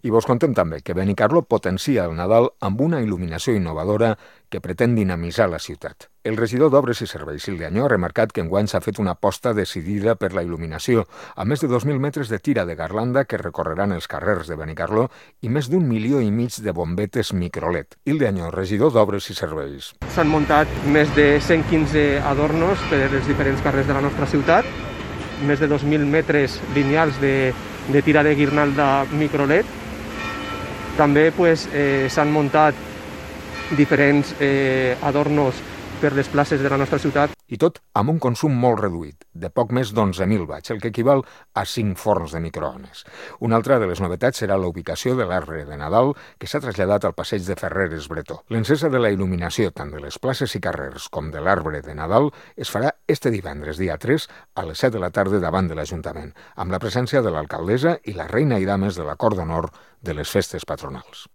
I vos contem també que Benicarló potencia el Nadal amb una il·luminació innovadora que pretén dinamitzar la ciutat. El regidor d'Obres i Serveis, Ilde Añó, ha remarcat que enguany s'ha fet una aposta decidida per la il·luminació, amb més de 2.000 metres de tira de garlanda que recorreran els carrers de Benicarló i més d'1,5 milió de bombetes microled. Ilde Añó, regidor d'Obres i Serveis. S'han muntat més de 115 adornos per els diferents carrers de la nostra ciutat, més de 2.000 metres lineals de tira de guirnalda microled. També s'han muntat diferents adornos per les places de la nostra ciutat. I tot amb un consum molt reduït, de poc més d'11.000 watts, el que equival a 5 forns de microones. Una altra de les novetats serà la ubicació de l'arbre de Nadal, que s'ha traslladat al passeig de Ferreres Bretó. L'encesa de la il·luminació, tant de les places i carrers com de l'arbre de Nadal, es farà este divendres, dia 3, a les 7 de la tarda davant de l'Ajuntament, amb la presència de l'alcaldessa i la reina i dames de la Cort d'Honor de les festes patronals.